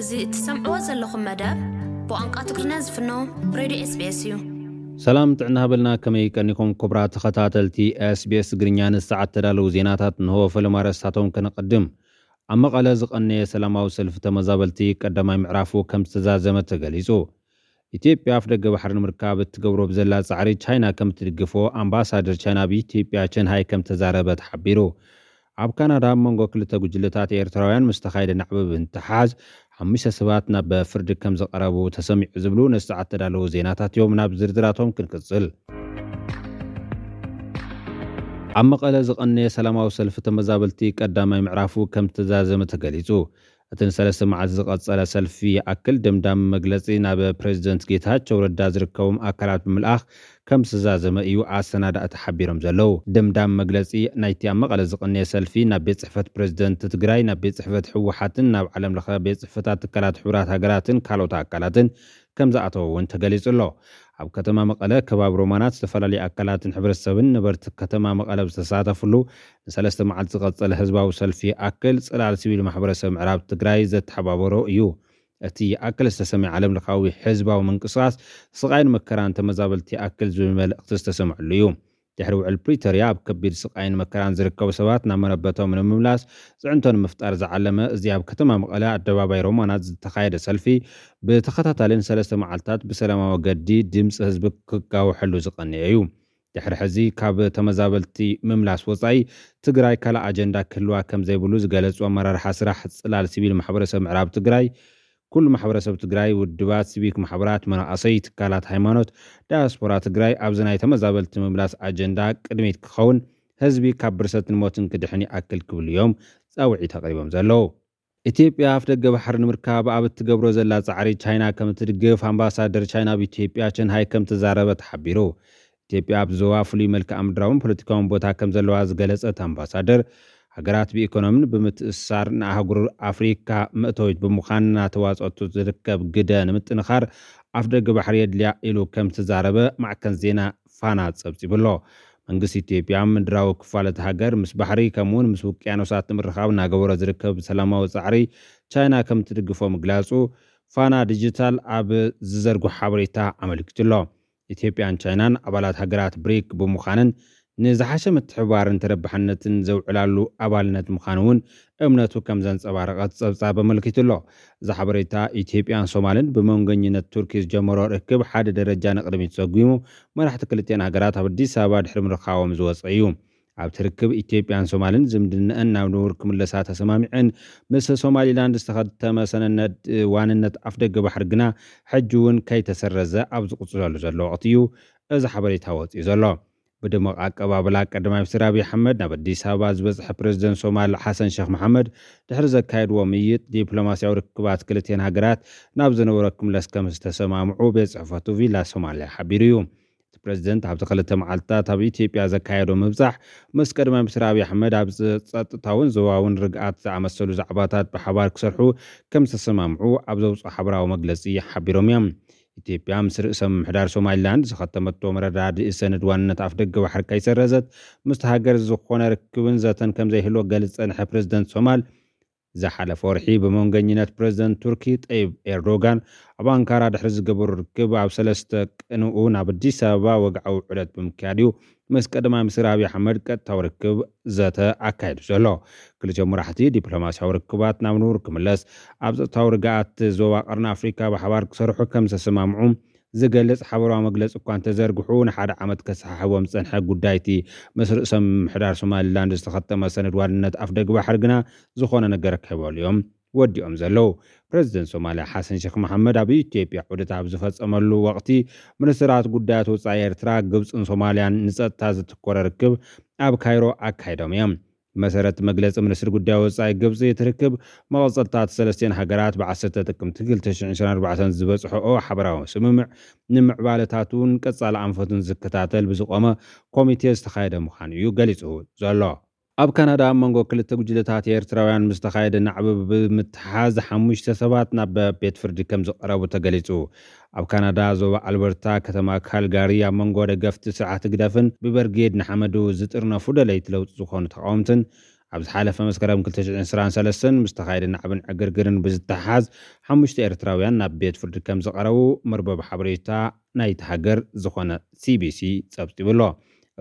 እዚ እትሰምዕዎ ዘለኹም መደብ ብቋንቋ ትግርኛ ዝፍኖ ሬድዮ ኤስቢኤስ እዩ። ሰላም ጥዕና ሃበልና፣ ከመይ ቀኒኹም ክቡራት ተኸታተልቲ ኤስቢኤስ ትግርኛ? ንሰዓት ተዳለዉ ዜናታት እንሆ። ፈለማ ኣርእስታቶም ከነቐድም። ኣብ መቐለ ዝቐነየ ሰላማዊ ሰልፊ ተመዛበልቲ ቀዳማይ ምዕራፉ ከም ዝተዛዘመ ተገሊጹ። ኢትዮጵያ ኣፍ ደገ ባሕሪ ንምርካብ እትገብሮ ብዘላ ጻዕሪ ቻይና ከም እትድግፎ ኣምባሳደር ቻይና ኣብ ኢትዮጵያ ቸን ሃይ ከም ተዛረበ ተሓቢሩ። ኣብ ካናዳ ኣብ መንጎ ክልተ ጉጅለታት ኤርትራውያን ምስ ተኻየደ ናዕቢ ብምትሓዝ ሓሙሽተ ሰባት ናብ ፍርዲ ከም ዝቐረቡ ተሰሚዑ ዝብሉ ንሰዓት ተዳለዉ ዜናታት እዮም። ናብ ዝርዝራቶም ክንቅጽል። ኣብ መቐለ ዝቐነየ ሰላማዊ ሰልፊ ተመዛበልቲ ቀዳማይ ምዕራፉ ከም ዝተዛዘመ ተገሊጹ። እቲ ንሰለስተ መዓልቲ ዝቐጸለ ሰልፊ ይኣክል ደምዳሚ መግለጺ ናብ ፕሬዚደንት ጌታቸው ረዳ ዝርከቦም ኣካላት ብምልኣኽ ከም ዝተዛዘመ እዩ ኣሰናዳእቲ ሓቢሮም ዘለዉ። ደምዳሚ መግለጺ ናይቲ ኣብ መቐለ ዝቐነየ ሰልፊ ናብ ቤት ጽሕፈት ፕሬዚደንት ትግራይ፣ ናብ ቤት ጽሕፈት ህወሓትን ናብ ዓለም ለኸ ቤት ጽሕፈታት ትካላት ሕቡራት ሃገራትን ካልኦት ኣካላትን ከም ዝኣተወ እውን ተገሊጹ ኣሎ። ኣብ ከተማ መቐለ ከባቢ ሮማናት ዝተፈላለዩ ኣካላትን ሕብረተሰብን ነበርቲ ከተማ መቐለ ዝተሳተፍሉ ንሰለስተ መዓልቲ ዝቐጸለ ህዝባዊ ሰልፊ ይኣክል ጽላል ሲቪል ማሕበረሰብ ምዕራብ ትግራይ ዘተሓባበሮ እዩ። እቲ ይኣክል ዝተሰምየ ዓለም ለኻዊ ህዝባዊ ምንቅስቃስ ስቓይን መከራን ተመዛበልቲ ይኣክል ዝብል መልእኽቲ ዝተሰምዐሉ እዩ። ድሕሪ ውዕል ፕሪቶርያ ኣብ ከቢድ ስቓይን መከራን ዝርከቡ ሰባት ናብ መረበቶም ንምምላስ ፅዕንቶ ንምፍጣር ዝዓለመ እዚ ኣብ ከተማ መቐለ ኣደባባይ ሮማናት ዝተኻየደ ሰልፊ ብተኸታታሊ ንሰለስተ መዓልታት ብሰላማዊ መገዲ ድምፂ ህዝቢ ክጋውሐሉ ዝቐነየ እዩ። ድሕሪ ሕዚ ካብ ተመዛበልቲ ምምላስ ወፃኢ ትግራይ ካልእ ኣጀንዳ ክህልዋ ከም ዘይብሉ ዝገለፁ ኣመራርሓ ስራሕ ፅላል ሲቪል ማሕበረሰብ ምዕራብ ትግራይ ኩሉ ማሕበረሰብ ትግራይ፣ ውድባት፣ ሲቪክ ማሕበራት፣ መናእሰይ፣ ትካላት ሃይማኖት፣ ዳያስፖራ ትግራይ ኣብዚ ናይ ተመዛበልቲ ምምላስ ኣጀንዳ ቅድሚት ክኸውን ህዝቢ ካብ ብርሰትን ሞትን ክድሕን ይኣክል ክብሉ እዮም ፃውዒት ኣቕሪቦም ዘለዉ። ኢትዮጵያ ኣፍ ደገ ባሕሪ ንምርካብ ኣብ እትገብሮ ዘላ ፃዕሪ ቻይና ከም እትድግፍ ኣምባሳደር ቻይና ኣብ ኢትዮጵያ ቸን ሃይ ከም ተዛረበ ተሓቢሩ። ኢትዮጵያ ኣብ ዞባ ፍሉይ መልክዓ ምድራውን ፖለቲካውን ቦታ ከም ዘለዋ ዝገለጸት ኣምባሳደር፣ ሃገራት ብኢኮኖምን ብምትእስሳር ንኣህጉር ኣፍሪካ መእተዊት ብምዃን እናተዋፀቱ ዝርከብ ግደ ንምጥንኻር ኣፍ ደገ ባሕሪ የድልያ ኢሉ ከም ዝተዛረበ ማዕከን ዜና ፋና ጸብጺቡ ኣሎ። መንግስቲ ኢትዮጵያ ምድራዊ ክፋል እቲ ሃገር ምስ ባሕሪ ከምኡውን ምስ ውቅያኖሳት ንምርኻብ እናገበሮ ዝርከብ ሰላማዊ ጻዕሪ ቻይና ከም ትድግፎ ምግላጹ ፋና ዲጂታል ኣብ ዝዘርግሖ ሓበሬታ ኣመልኪቱ ኣሎ። ኢትዮጵያን ቻይናን ኣባላት ሃገራት ብሪክ ብምዃነን ንዝሓሸ ምትሕብባርን ተረባሕነትን ዘውዕላሉ ኣባልነት ምዃኑ እውን እምነቱ ከም ዘንጸባረቐት ጸብጻብ ኣመልኪቱ ኣሎ። እዚ ሓበሬታ ኢትዮጵያን ሶማልን ብመንጎኝነት ቱርኪ ዝጀመሮ ርክብ ሓደ ደረጃ ንቕድሚት ሰጒሙ መራሕቲ ክልቲአን ሃገራት ኣብ ኣዲስ ኣበባ ድሕሪ ምርኻቦም ዝወጸ እዩ። ኣብቲ ርክብ ኢትዮጵያን ሶማልን ዝምድነአን ናብ ንቡር ክምለሳ ተሰማሚዐን ምስ ሶማሊላንድ ዝተኸተመ ሰነነድ ዋንነት ኣፍደገ ባሕሪ ግና ሕጂ እውን ከይተሰረዘ ኣብ ዝቕጽለሉ ዘሎ ወቕቲ እዩ እዚ ሓበሬታ ወጺኡ ዘሎ። ብድሙቕ ኣቀባብላ ቀዳማይ ሚኒስትር ኣብይ ኣሕመድ ናብ ኣዲስ ኣበባ ዝበፅሐ ፕሬዚደንት ሶማል ሓሰን ሸክ መሓመድ ድሕሪ ዘካየድዎ ምይጥ ዲፕሎማሲያዊ ርክባት ክልቲአን ሃገራት ናብ ዝነበሮ ክምለስ ከም ዝተሰማምዑ ቤት ፅሕፈቱ ቪላ ሶማልያ ሓቢሩ እዩ። እቲ ፕሬዚደንት ኣብቲ ክልተ መዓልትታት ኣብ ኢትዮጵያ ዘካየዶ ምብፃሕ ምስ ቀዳማይ ሚኒስትር ኣብይ ኣሕመድ ኣብ ጸጥታውን ዞባውን ርግኣት ዝኣመሰሉ ዛዕባታት ብሓባር ክሰርሑ ከም ዝተሰማምዑ ኣብ ዘውፅኦ ሓበራዊ መግለፂ ሓቢሮም እዮም። ኢትዮጵያ ምስ ርእሰ ምምሕዳር ሶማሊላንድ ዝኸተመቶ መረዳድኢ ሰነድ ዋንነት ኣፍደገ ባሕሪ ከይሰረዘት ምስቲ ሃገር ዝኾነ ርክብን ዘተን ከም ዘይህልዎ ገልጽ ዝጸንሐ ፕሬዚደንት ሶማል ዝሓለፈ ወርሒ ብመንገኝነት ፕሬዚደንት ቱርኪ ጠይብ ኤርዶጋን ኣብ ኣንካራ ድሕሪ ዝገበሩ ርክብ ኣብ ሰለስተ ቅንኡ ናብ ኣዲስ ኣበባ ወግዓዊ ዑደት ብምክያድ እዩ ምስ ቀዳማይ ሚኒስትር ኣብይ ኣሕመድ ቀጥታዊ ርክብ ዘተ ኣካይዱ ዘሎ። ክልቲኦም መራሕቲ ዲፕሎማሲያዊ ርክባት ናብ ንቡር ክምለስ ኣብ ጸጥታዊ ርግኣት ዞባ ቀርኒ ኣፍሪካ ብሓባር ክሰርሑ ከም ዝተሰማምዑ ዝገልጽ ሓበራዊ መግለጺ እኳ እንተዘርግሑ ንሓደ ዓመት ከሰሓሕቦም ዝጸንሐ ጉዳይቲ ምስ ርእሰ ምምሕዳር ሶማሊላንድ ዝተኸተመ ሰነድ ዋንነት ኣፍደገ ባሕሪ ግና ዝኾነ ነገር ከይበሉ እዮም ወዲኦም ዘለዉ። ፕሬዚደንት ሶማልያ ሓሰን ሸክ መሓመድ ኣብ ኢትዮጵያ ዑደት ኣብ ዝፈጸመሉ ወቕቲ ሚኒስትራት ጉዳያት ወጻኢ ኤርትራ፣ ግብጽን ሶማልያን ንጸጥታ ዘተኮረ ርክብ ኣብ ካይሮ ኣካይዶም እዮም። ብመሰረት መግለጺ ሚኒስትሪ ጉዳይ ወጻኢ ግብጺ እቲ ርክብ መቐጸልታት ሰለስቲአን ሃገራት ብዓሰርተ ጥቅምቲ ክልተ ሽሕን ዕስራን ኣርባዕተን ዝበጽሕኦ ሓበራዊ ስምምዕ ንምዕባለታቱን ቀጻሊ ኣንፈቱን ዝከታተል ብዝቆመ ኮሚቴ ዝተኻየደ ምዃኑ እዩ ገሊጹ ዘሎ። ኣብ ካናዳ ኣብ መንጎ ክልተ ጉጅለታት ኤርትራውያን ምስ ተኻየደ ናዕቢ ብምትሓዝ ሓሙሽተ ሰባት ናብ ቤት ፍርዲ ከም ዝቐረቡ ተገሊጹ። ኣብ ካናዳ ዞባ ኣልበርታ ከተማ ካልጋሪ ኣብ መንጎ ደገፍቲ ስርዓት ህግደፍን ብበርጌድ ንሓመዱ ዝጥርነፉ ደለይቲ ለውጢ ዝኾኑ ተቃወምትን ኣብ ዝሓለፈ መስከረም ክልተ ሽሕን ዕስራን ሰለስተን ምስ ተኻየደ ናዕብን ዕግርግርን ብዝተሓሓዝ ሓሙሽተ ኤርትራውያን ናብ ቤት ፍርዲ ከም ዝቐረቡ መርበብ ሓበሬታ ናይቲ ሃገር ዝኾነ ሲቢሲ ጸብጺቡ ኣሎ።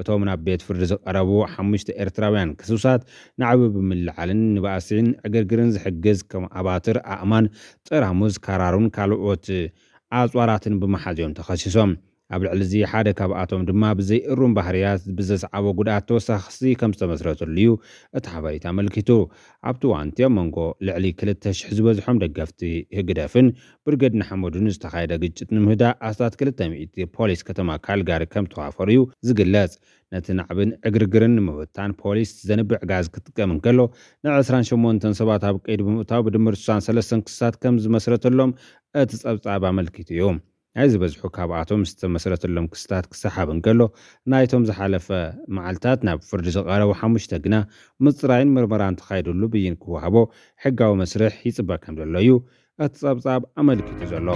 እቶም ናብ ቤት ፍርዲ ዝቐረቡ ሓሙሽተ ኤርትራውያን ክሱሳት ናዕቢ ብምልዓልን ንባእሲን ዕግርግርን ዝሕግዝ ከም ኣባትር ኣእማን፣ ጠራሙዝ፣ ካራሩን ካልኦት ኣጽዋራትን ብምሓዝ እዮም ተኸሲሶም። ኣብ ልዕሊ እዚ ሓደ ካብኣቶም ድማ ብዘይ እሩም ባህርያት ብዘስዓቦ ጉድኣት ተወሳኺ ክሲ ከም ዝተመስረተሉ እዩ እቲ ሓበሬታ ኣመልኪቱ። ኣብቲ እዋን እቲ ኣብ መንጎ ልዕሊ ክልተ ሽሕ ዝበዝሖም ደገፍቲ ህግደፍን ብርገድ ንሓመዱን ዝተኻየደ ግጭት ንምህዳእ ኣስታት ክልተ ሚእቲ ፖሊስ ከተማ ካልጋሪ ከም ተዋፈሩ እዩ ዝግለጽ። ነቲ ናዕብን ዕግርግርን ንምብታን ፖሊስ ዘንብዕ ጋዝ ክጥቀም እንከሎ፣ ንዕስራን ሸሞንተን ሰባት ኣብ ቀይዲ ብምእታው ብድምር ስሳን ሰለስተን ክስታት ከም ዝመስረተሎም እቲ ጸብጻብ ኣመልኪቱ እዩ። ናይ ዝበዝሑ ካብኣቶም ዝተመስረተሎም ክስታት ክሰሓብ እንከሎ፣ ናይቶም ዝሓለፈ መዓልታት ናብ ፍርዲ ዝቐረቡ ሓሙሽተ ግና ምጽራይን ምርመራን ተኻይዱሉ ብይን ክወሃቦ ሕጋዊ መስርሕ ይጽበ ከም ዘሎ እዩ እቲ ጸብጻብ ኣመልኪቱ ዘሎ።